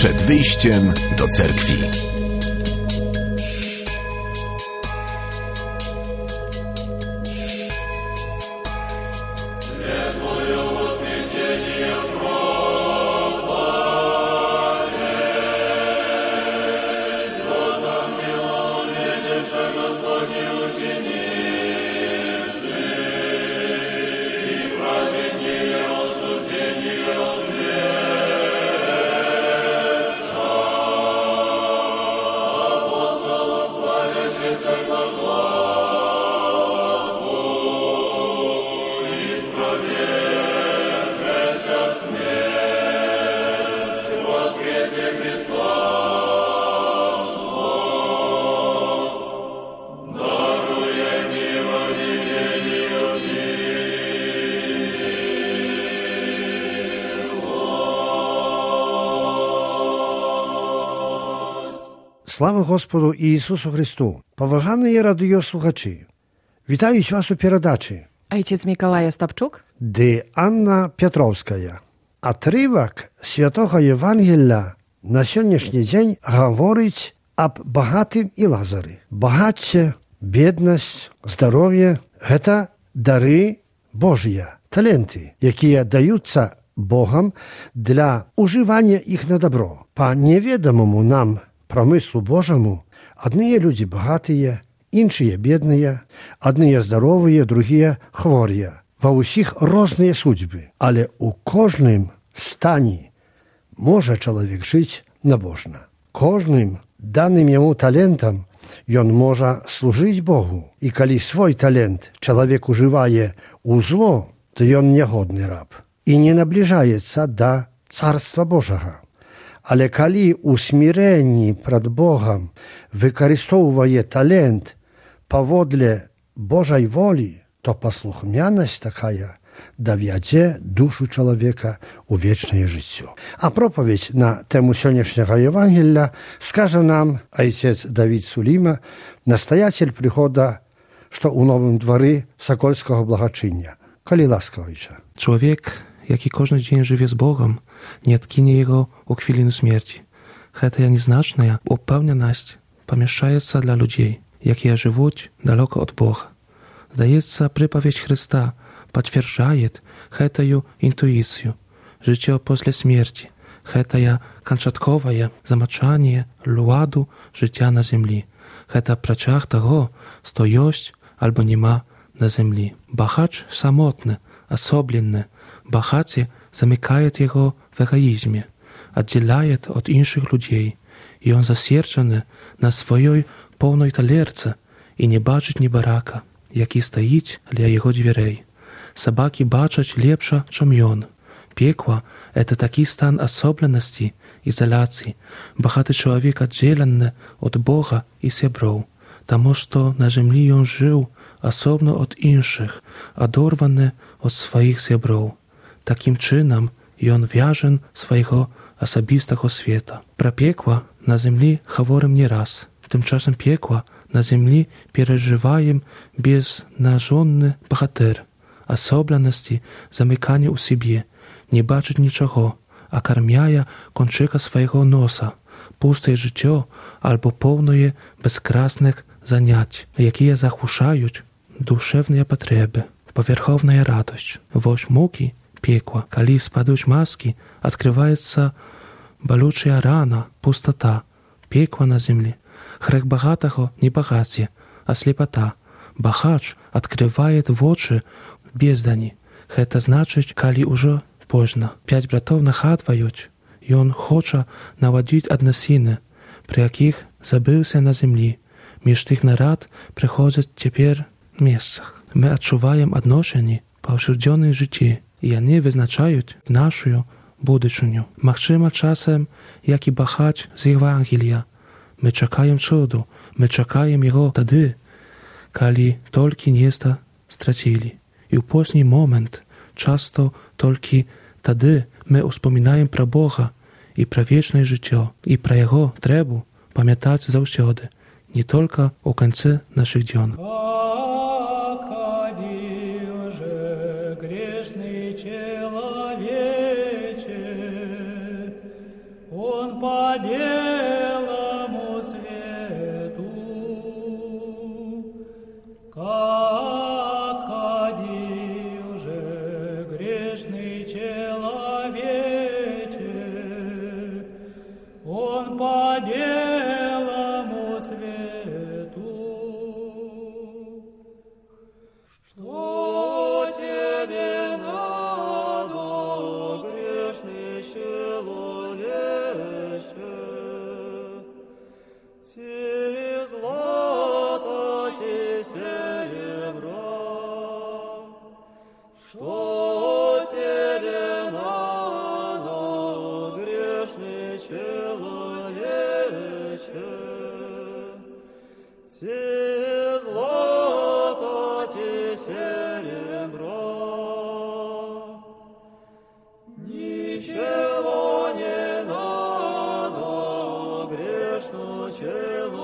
Przed wyjściem do cerkwi. Слава Господу Ісусу Христу! Поважані радіослухачі, вітають вас у передачі Ojciec Mikołaj Ostapczuk, де Анна Петровська. Отрывок Святого Євангелія на сьогоднішній день говорить об багатим і Лазарі. Багаття, бідність, здоров'я – це дари Божі, таленти, які даються Богом для уживання їх на добро. По невідомому нам промыслу Божьему, одни люди богатые, іншие бедные, одни здоровые, другие хворые. Во усіх різні судьби, але у кожним стані може чоловік жити набожно. Кожним даним йому талентом він може служити Богу. І коли свій талент чоловік уживає у зло, то він негодний раб і не наближається до Царства Божого. Але коли у смиренні перед Богом використовує талент поводле Божої волі, то послухняність така доведе душу чоловіка у вічне життя. А проповідь на тему сьогоднішнього Євангелія скаже нам отець Давид Суліма, настоятель приходу, що у Новому дворі Сокольського благочиння. Коли ласкавича. Człowiek, jaki każdy dzień żyje z Bogiem, nie odkinie Jego u chwiliny śmierci. Heta nieznaczna upełnioność pomieszczaється dla ludzi, jakie żyją daleko od Boga. Zdaється, przypowiedź Chrysta potwierdzaje hetaju intuicję, życie после śmierci, hetaja kończowe zamaczanie ładu życia na ziemi, heta prachach tego, co jest albo nie ma na ziemi. Bogacz samotny, osoblenny, bogacie zamykает jego w egoizmie, oddzielает od innych ludzi i on zasierczony na swojej pełnej talerce i nie baczyć ni baraka, jaki stoi dla jego drzwi. Собаки бачать lepsze, czym on. Piekło – to taki stan osobności, izolacji. Bogaty człowiek oddzielony od Boga i siebrów, тому что na ziemi on żył osobno od innych, odorwany od swoich siebrów. Takim czynem on wiąże swojego osobistego świata. Про piekło na ziemi говорим nie raz. Tymczasem piekło na ziemi przeżywają beznażony bohater. Особливості замикання у собі, не бачить нічого, а кармяє кончика свого носа, пусте життя або повне безкрасних занять, які заглушають душевні потреби, поверховна радость. Вось муки, пекла, коли спадуть маски, відкривається болюча рана, пустота, пекла на землі. Грех багатого не багаття, а слепота. Багач відкриває в очі бездані. Гэта значыць, калі ўжо позна. 5 братоў нагадваюць, ён хоча навадзіць аднасіны, пры якіх забыўся на зямлі. Між тых нарад прыходзяць цяпер месцах. Мы адчуваем адношенні паўсюдзённай жыцці, і яны вызначаюць нашу будучыню. Магчыма, часам, як і багач з Євангелія, мы чакаем цуду, мы чакаем яго тады, калі толькі нешта страцілі. І ў позні момент, часто толькі тады мы успамінаем пра Бога і пра вечнае жыццё, і пра яго трэбу памятаць заўсёды, не толькі ў канцы нашых дзён. Он белому свету, как ходил же грешный человече, он по белому свету. Что тебе надо, грешный человече? Ти злато, ти серебро. Что тебе надо, грешный человече? Ти злато, ти серебро. Ничего не надо грешному человеку.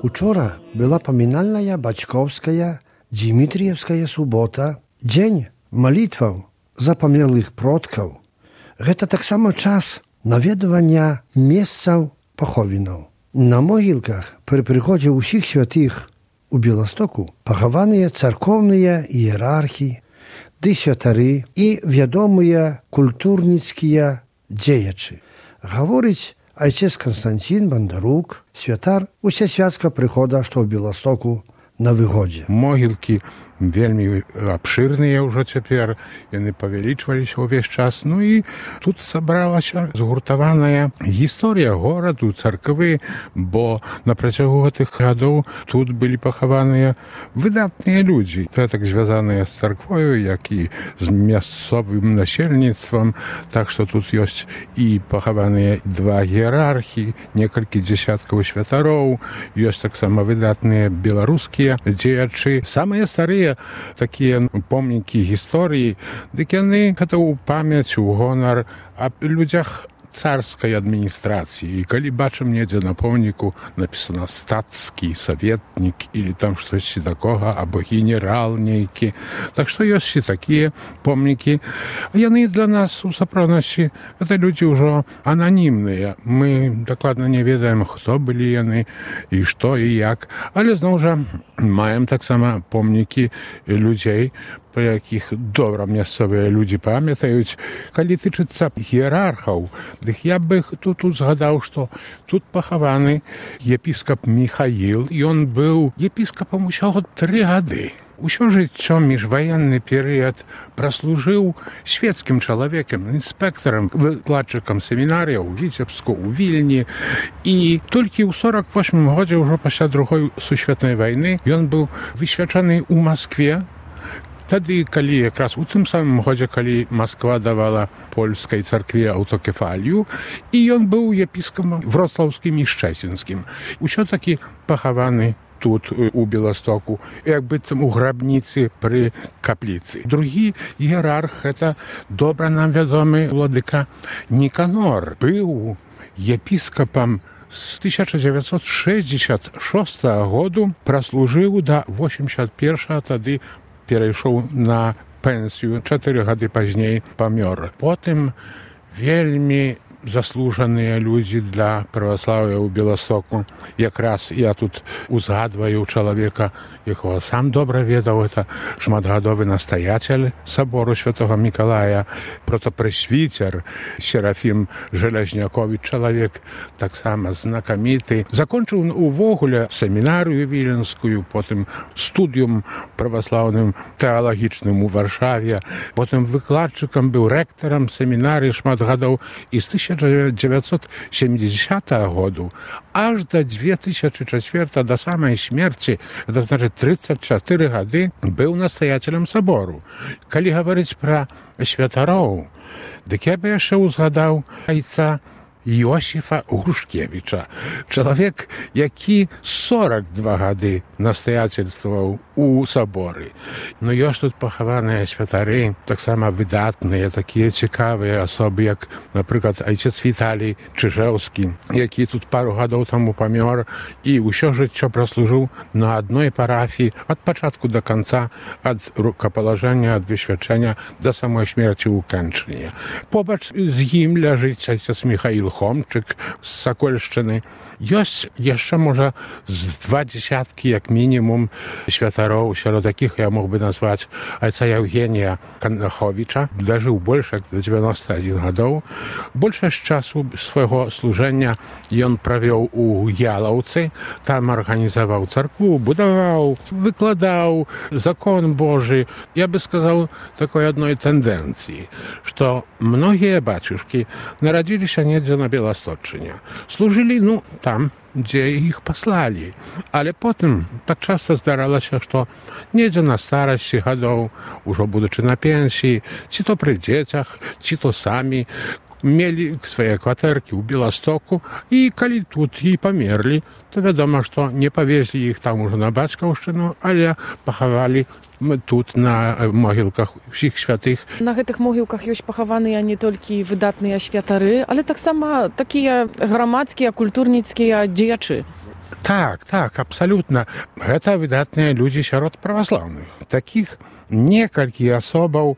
Учора была поминальная Бачковская Дмитриевская суббота, дзень молитваў за памерлых продкаў. Гэта таксама час наведвання месцаў паховінаў. На могілках пры прыходзе ўсіх святых у Беластоку пахаваныя царкоўныя іерархі, ды святары і вядомыя культурніцкія дзеячы. Гаворыць айцец Константин Бандарук, святар усесвятскага прыхода, што ў Беластоку на выгодзе. Могілкі вельмі абшырныя ўжо цяпер, яны павялічваліся ўвесь час. Ну і тут сабралася згуртаваная гісторыя гораду, царквы, бо на працягу гэтых гадоў тут былі пахаваныя выдатныя людзі, так звязаныя з царквою, як і з мясцовым насельніцтвам. Так што тут ёсць і пахаваныя два іерархі, некалькі дзесяткаў святароў, ёсць таксама выдатныя беларускія дзеячы. Самыя старыя такія помнікі гісторыі, дык яны гэта ў памяць, у гонар аб людзях царскай адміністрацыі. І калі бачым недзе на помніку напісана стацкі саветнік или там штосьці такога, або генерал нейкі. Так што ёсць і такія помнікі. Яны для нас у сапраўднасці гэта людзі ўжо ананімныя. Мы дакладна не ведаем, хто былі яны і што і як. Але зноў жа маем таксама помнікі людзей, па якіх добра мясцовыя людзі памятаюць. Калі тычыцца іерархаў, дык я бы тут узгадаў, што тут пахаваны епіскап Міхаіл, і ён быў епіскапам усяго 3 гады. Усё жыццё міжваенны перыяд праслужыў свецкім чалавекам, інспектарам, выкладчыкам семінарыя ў Віцебску, у Вільні. І толькі ў 48 годзе, ўжо пасля другой сусветнай вайны, ён быў высвячаны ў Маскве. Тады, калі якраз у тым самым годзе, калі Масква давала польскай царкве аўтокефалію, і ён быў епіскапам вроцлаўскім і шчэцінскім. Усё-такі пахаваны тут, у Беластоку, як быццам у грабніцы пры капліцы. Другі іерарх, гэта добра нам вядомы владыка Ніканор. Быў епіскапам з 1966 году, праслужыў да 81-го, тады перайшоў на пенсію, 4 гады пазней памёр. Потым вельмі заслужаныя людзі для праваслаўя ў Беластоку. Якраз я тут узгадваю чалавека, якога сам добра ведаў, это шматгадовы настаятель сабору святого Мікалая, протапрэсвіцер Серафім Желязняковіч, чалавек таксама знакаміты. Закончыў увогуле семінарыю віленскую, потым студыум праваслаўным тэалагічным у Варшаве, потым выкладчыкам, быў рэктарам семінарыі шмат гадоў, і з 1970 году аж до 2004, до самой смерти, это значит 34 гады, быў настаятелем сабору. Калі гаварыць пра святароў, дык я бы яшчэ ўзгадаў айца Иосифа Грушкевича. Чалавек, які 42 гады настаяцельстваваў у саборы. Но ёсць тут пахаваныя святары, таксама выдатныя, такія цікавыя асобы, як, напрыклад, айцец Віталій Чыжэўскі, які тут пару гадоў таму памёр і ўсё жыццё праслужыў на адной парафіі ад пачатку да канца, ад рукапалажэння, ад высвячэння да самой смерці ў Кэнчыне. Побач з ім ляжыць айцец Міхаіл Хомчык з Сакольшчыны. Ёсць яшчэ, можа, з 20 як мінімум святароў, сярод якіх я мог бы назваць айца Яўгенія Канаховіча, дажыў больш як да 91 гадоў. Большасць часу свайго служэння ён правёў у Ялаўцы, там арганізаваў царкву, будаваў, выкладаў закон Божы. Я бы сказаў такой адной тэндэнцыі, што многія бацюшкі нарадзіліся недзе на Беласточчыне. Служылі, там, дзе іх паслалі. Але потым так часта здаралася, што недзе на старасці гадоў, ужо будучы на пенсіі, ці то пры дзецях, ці то самі, мелі свае кватэркі ў Беластоку, і калі тут і памерлі, то вядома, што не павезлі іх там ужо на бацькаўшчыну, але пахавалі тут на могілках усіх святых. На гэтых могілках ёсць пахаваныя не толькі выдатныя святары, але таксама такія грамадскія, культурніцкія дзеячы. Так, абсалютна. Гэта выдатныя людзі сярод праваслаўных. Такіх некалькі асобаў,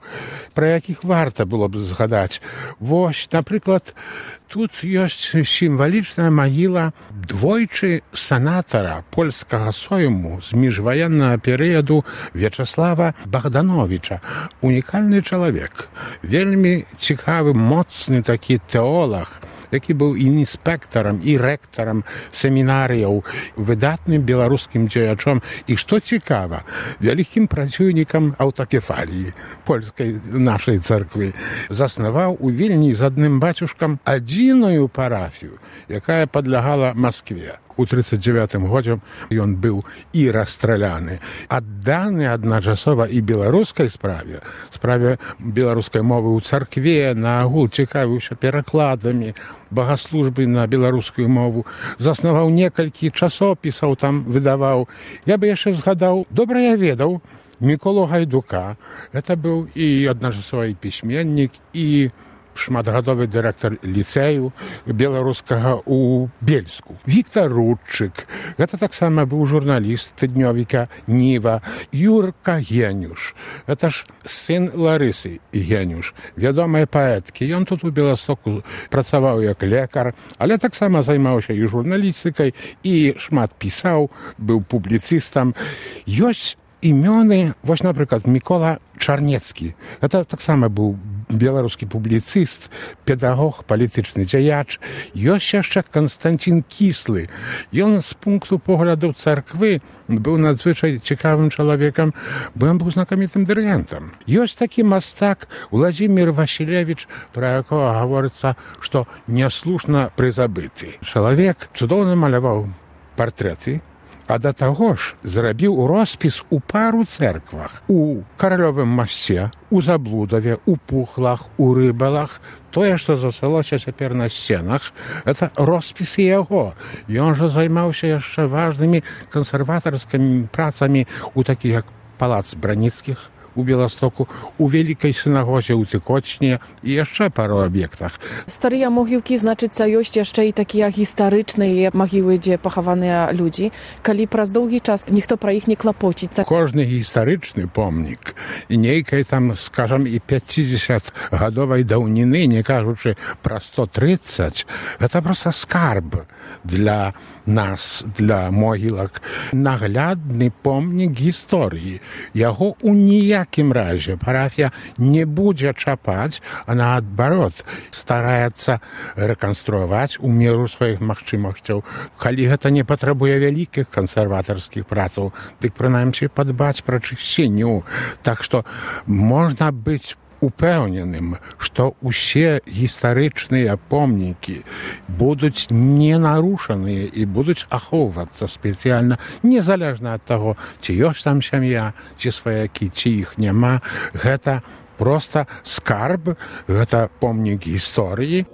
пра якіх варта было б згадаць. Вось, напрыклад, тут ёсць сімвалічная магіла двойчы сенатара польскага сойму з міжваеннага перыяду Вячаслава Богдановича. Унікальны чалавек, вельмі цікавы, моцны такі тэолаг, які быў і інспектарам, і рэктарам семінарыяў, выдатным беларускім дзеячом і, што цікава, вялікім праціўнікам аўтакефаліі польскай нашай царквы. Заснаваў у Вільні з адным бацюшкам адзіную парафію, якая падлягала Маскве. У 39 годзе ён быў і расстраляны. Адданы адначасова і беларускай справе беларускай мовы ў царкве, наагул цікавіўся перакладамі, багаслужбы на беларускую мову, заснаваў некалькі часопісаў, там выдаваў. Я бы яшчэ згадаў, добра я ведаў Міколу Гайдука. Гэта быў і адначасова і пісьменнік, і шматгадовы дырэктар ліцэю беларускага ў Бельску. Віктор Рудчык, гэта таксама быў журналіст тыднёвіка Ніва. Юрка Генюш, гэта ж сын Ларысы Генюш, вядомая паэткі. Ён тут у Беластоку працаваў як лекар, але таксама займаўся і журналістыкай, і шмат пісаў, быў публіцыстам. Ёсць імёны, вось, напрыклад, Мікола Чарнецкі. Гэта таксама быў беларускі публіцыст, педагог, палітычны дзеяч. Ёсць яшчэ Канстантин Кіслы. Ён з пункту погляду царквы быў надзвычай цікавым чалавекам, бо ён быў знакамітым дырыгентам. Ёсць такі мастак Владзімір Васілевіч, пра якога гаворыцца, што няслушна прызабыты. Чалавек цудоўна маляваў партрэты, а да таго ж зрабіў роспіс у пару цэрквах. У Каралёвым масце, у Заблудаве, у Пухлах, у Рыбалах. Тое, што засталося цяпер на сценах, это роспісы яго. Ён жа займаўся яшчэ важнымі кансерватарскімі працамі у такіх як палац Браніцкіх у Беластоку, у вялікай сінагозе ў Тыкочне і яшчэ пару аб'ектах. Старыя могілкі, значыцца, ёсць яшчэ і такія гістарычныя магілы, дзе пахаваныя людзі. Калі праз доўгі час ніхто пра іх не клапоціцца. Кожны гістарычны помнік нейкай там, скажам, і 50-гадовай даўніны, не кажучы пра 130, гэта проста скарб для нас, для могілак. Наглядны помнік гісторыі. Яго у ніякім разе парафія не будзе чапаць, а наадварот стараецца рэканструяваць у меру сваіх магчымасцяў. Калі гэта не патрабуе вялікіх кансерватарскіх працаў, дык прынамсі падбаць пра чысціню. Так што можна быць упэўненым, што ўсе гістарычныя помнікі будуць не нарушаныя і будуць ахоўвацца спецыяльна, незалежна ад таго, ці ёсць там сям'я, ці сваякі, ці іх няма. Гэта проста скарб, гэта помнік гісторыі.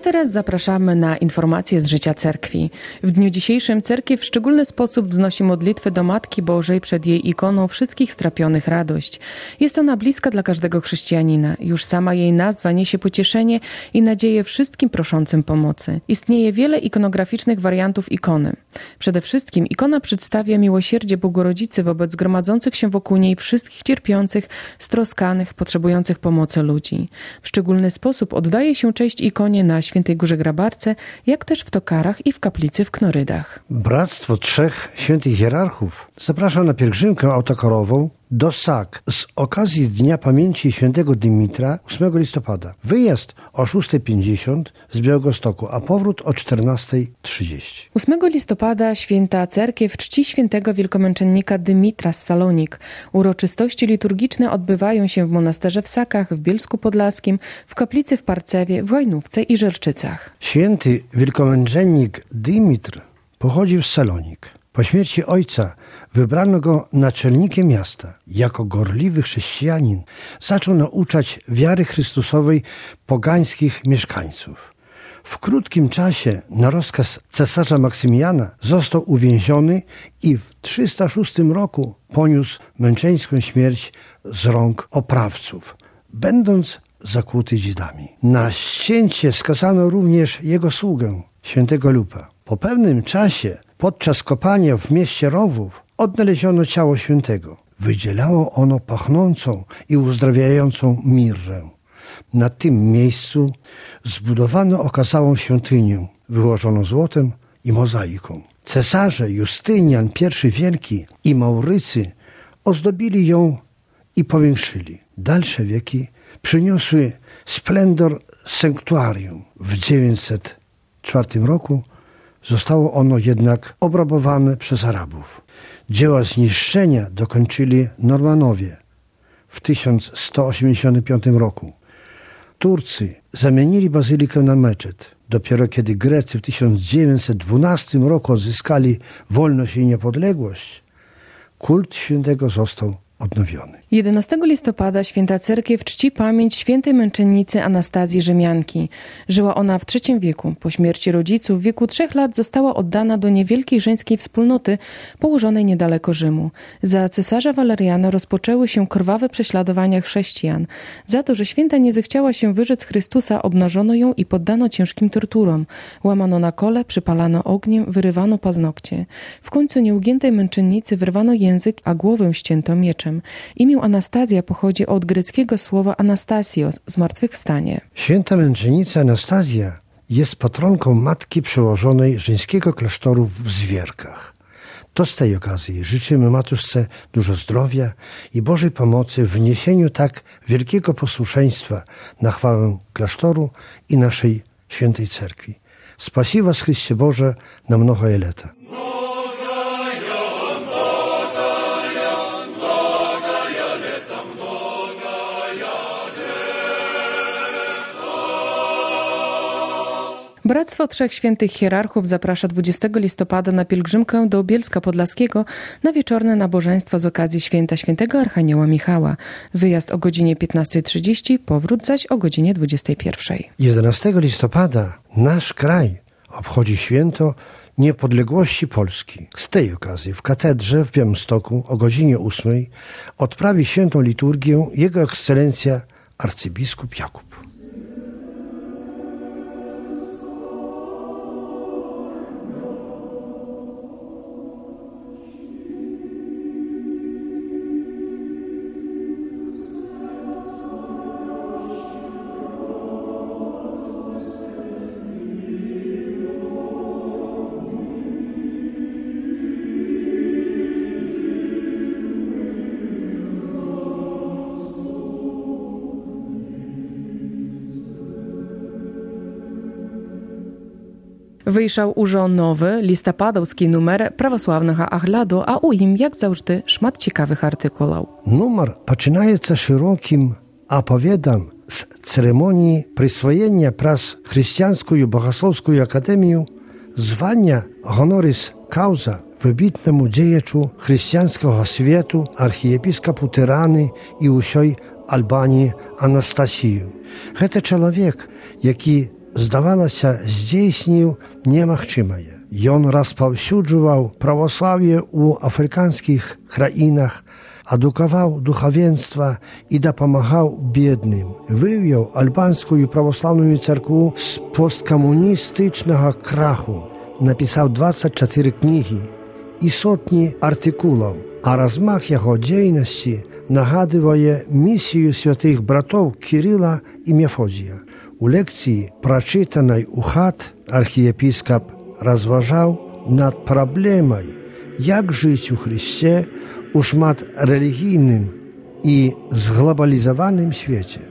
A teraz zapraszamy na informacje z życia cerkwi. W dniu dzisiejszym cerkiew w szczególny sposób wznosi modlitwę do Matki Bożej przed jej ikoną wszystkich strapionych radość. Jest ona bliska dla każdego chrześcijanina. Już sama jej nazwa niesie pocieszenie i nadzieję wszystkim proszącym pomocy. Istnieje wiele ikonograficznych wariantów ikony. Przede wszystkim ikona przedstawia miłosierdzie Bogorodzicy wobec gromadzących się wokół niej wszystkich cierpiących, stroskanych, potrzebujących pomocy ludzi. W szczególny sposób oddaje się cześć ikonie na Świętej Górze Grabarce, jak też w Tokarach i w kaplicy w Knorydach. Bractwo Trzech Świętych Hierarchów zaprasza na pielgrzymkę autokarową do Sak z okazji Dnia Pamięci Świętego Dymitra 8 listopada. Wyjazd o 6:50 z Białegostoku, a powrót o 14:30. 8 listopada Święta Cerkiew czci świętego wielkomęczennika Dymitra z Salonik. Uroczystości liturgiczne odbywają się w monasterze w Sakach, w Bielsku Podlaskim, w kaplicy w Parcewie, w Łajnówce i Żerczycach. Święty wielkomęczennik Dymitr pochodził z Salonik. Po śmierci ojca wybrano go naczelnikiem miasta. Jako gorliwy chrześcijanin zaczął nauczać wiary Chrystusowej pogańskich mieszkańców. W krótkim czasie na rozkaz cesarza Maksymiliana został uwięziony i w 306 roku poniósł męczeńską śmierć z rąk oprawców, będąc zakuty dzidami. Na ścięcie skazano również jego sługę, świętego Lupa. Po pewnym czasie, podczas kopania w mieście Rowów, odnaleziono ciało świętego. Wydzielało ono pachnącą i uzdrawiającą mirrę. Na tym miejscu zbudowano okazałą świątynię, wyłożoną złotem i mozaiką. Cesarze Justynian I Wielki i Maurycy ozdobili ją i powiększyli. Dalsze wieki przyniosły splendor sanktuarium. W 904 roku zostało ono jednak obrabowane przez Arabów. Dzieła zniszczenia dokończyli Normanowie w 1185 roku. Turcy zamienili bazylikę na meczet. Dopiero kiedy Grecy w 1912 roku odzyskali wolność i niepodległość, kult świętego został odnowiony. 11 listopada Święta Cerkiew czci pamięć świętej męczennicy Anastazji Rzymianki. Żyła ona w III wieku. Po śmierci rodziców w wieku 3 lat została oddana do niewielkiej żeńskiej wspólnoty położonej niedaleko Rzymu. Za cesarza Waleriana rozpoczęły się krwawe prześladowania chrześcijan. Za to, że święta nie zechciała się wyrzec Chrystusa, obnażono ją i poddano ciężkim torturom. Łamano na kole, przypalano ogniem, wyrywano paznokcie. W końcu nieugiętej męczennicy wyrwano język, a głowę ścięto mieczem. Imię Anastazja pochodzi od greckiego słowa Anastasios, zmartwychwstanie. Święta męczennica Anastazja jest patronką matki przełożonej żeńskiego klasztoru w Zwierkach. To z tej okazji życzymy Matушce dużo zdrowia i Bożej pomocy w niesieniu tak wielkiego posłuszeństwa na chwałę klasztoru i naszej świętej cerkwi. Spasi was Chryście Boże na mnogie lata. Bractwo Trzech Świętych Hierarchów zaprasza 20 listopada na pielgrzymkę do Bielska Podlaskiego na wieczorne nabożeństwo z okazji święta świętego Archanioła Michała. Wyjazd o godzinie 15:30, powrót zaś o godzinie 21:00. 11 listopada nasz kraj obchodzi święto niepodległości Polski. Z tej okazji w katedrze w Białymstoku o godzinie 8:00 odprawi świętą liturgię Jego Ekscelencja arcybiskup Jakub. Wyjшов уже nowy, listopadowski numer prawosławnego Agladu, a u nim, jak zawsze, szmat ciekawych artykułów. Numer zaczynaється szerokim opowiadam z ceremonii przyswojenia przez Chrześcijańską Bogosłowską Akademię zwania honoris causa wybitnemu dziejaczu chrześcijańskiego światu, archiepiskopu Tyrany i usioj Albanii Anastasiju. To człowiek, jaki здавалася, здзейсніў немагчымае. Ён распаўсюджваў праваслаўе ў афрыканскіх краінах, адукаваў духавенства і дапамагаў бедным. Вывеў альбанскую праваслаўную царкву з посткамуністычнага краху. Напісаў 24 кнігі і сотні артыкулаў, а размах яго дзейнасці нагадывае місію святых братоў Кірыла і Мефодія. У лекцыі, прачытанай у хат, архіепіскап разважаў над праблемай, як жыць у Христе у шматрэлігійным і зглобалізаваным свеце.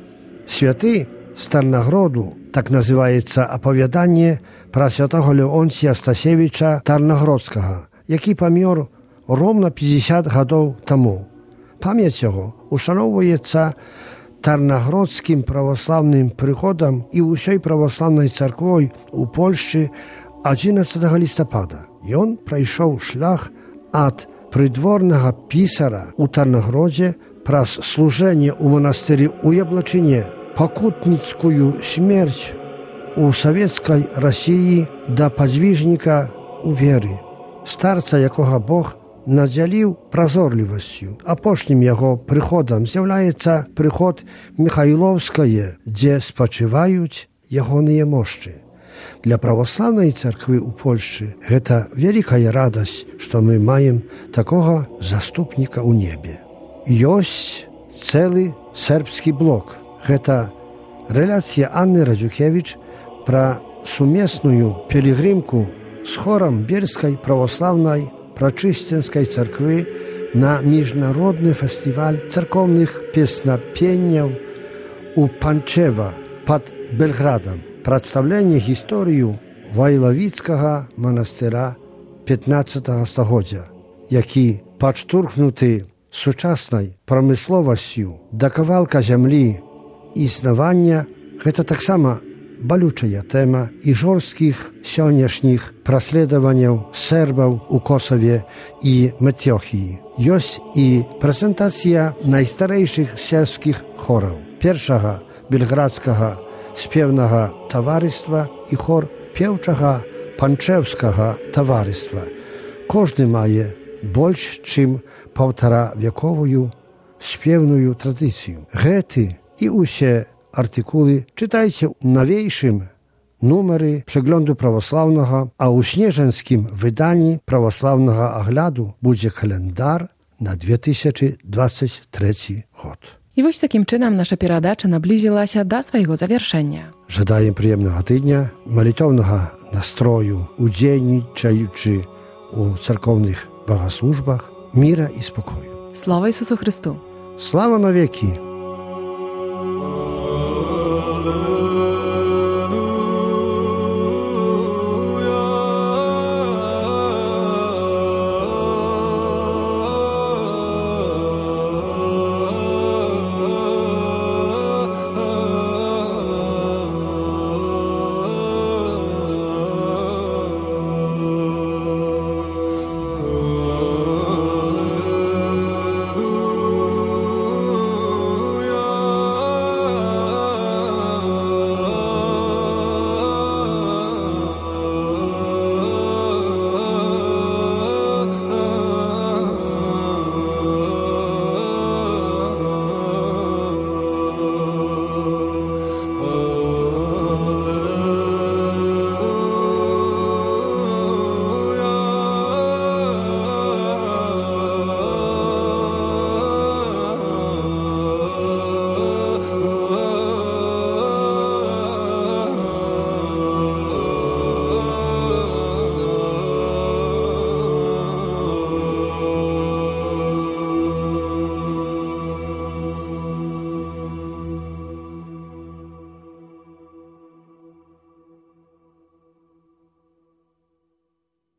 Святы з Тарнагроду, так называецца апавяданне пра святого Леонція Стасевіча Тарнагродскага, які памёр ровно 50 гадоў таму. Памяць яго ушаноўваецца Тарнагродскім праваслаўным прыходам і ўсёй праваслаўнай царквой у Польшчы 11 лістапада. Ён прайшоў шлях ад прыдворнага пісара ў Тарнагродзе праз служэнне ў манастыры ў Яблачыне, пакутніцкую смерць у савецкай Расіі да падзвіжніка ў веры, старца, якога Бог надзяліў празорлівасцю. Апошнім яго прыходам з'яўляецца прыход Міхайлоўскае, дзе спачываюць ягоныя мошчы. Для праваслаўнай царквы ў Польшчы гэта вялікая радасць, што мы маем такога заступніка ў небе. Ёсць цэлы сербскі блок. Гэта рэляцыя Анны Радзюкевіч пра сумесную пілігрымку з хорам Бельскай праваслаўнай прачысценскай царквы на міжнародны фестываль царкоўных песнапенняў у Панчева пад Белградам. Прадстаўленне гісторыю Вайлавіцкага манастыра 15 стагоддзя, які падштурхнуты сучаснай прамысловасцю да кавалка зямлі існавання, гэта таксама балючая тэма і жорсткіх сённяшніх праследаванняў сербаў у Косаве і Метёхіі. Ёсць і прэзентацыя найстарэйшых сербскіх хораў. Першага бельградскага спеўнага таварыства і хор пеўчага панчэўскага таварыства. Кожны мае больш, чым 1,5-вековую спеўную традыцыю. Гэты і ўсе артыкулы чытайце ў навейшым нумары прzeglądu праваслаўнага, а ў снежанскім выданні праваслаўнага агляду будзе календар на 2023 год. I właśnie takim czynem nasza перадача наблизилася до своего завершения. Żadaję przyjemnego tygodnia, молитовного настрою, удзельнічаючи у церковних богослужбах, мира і спокою. Слава Ісусу Христу! Слава навеки!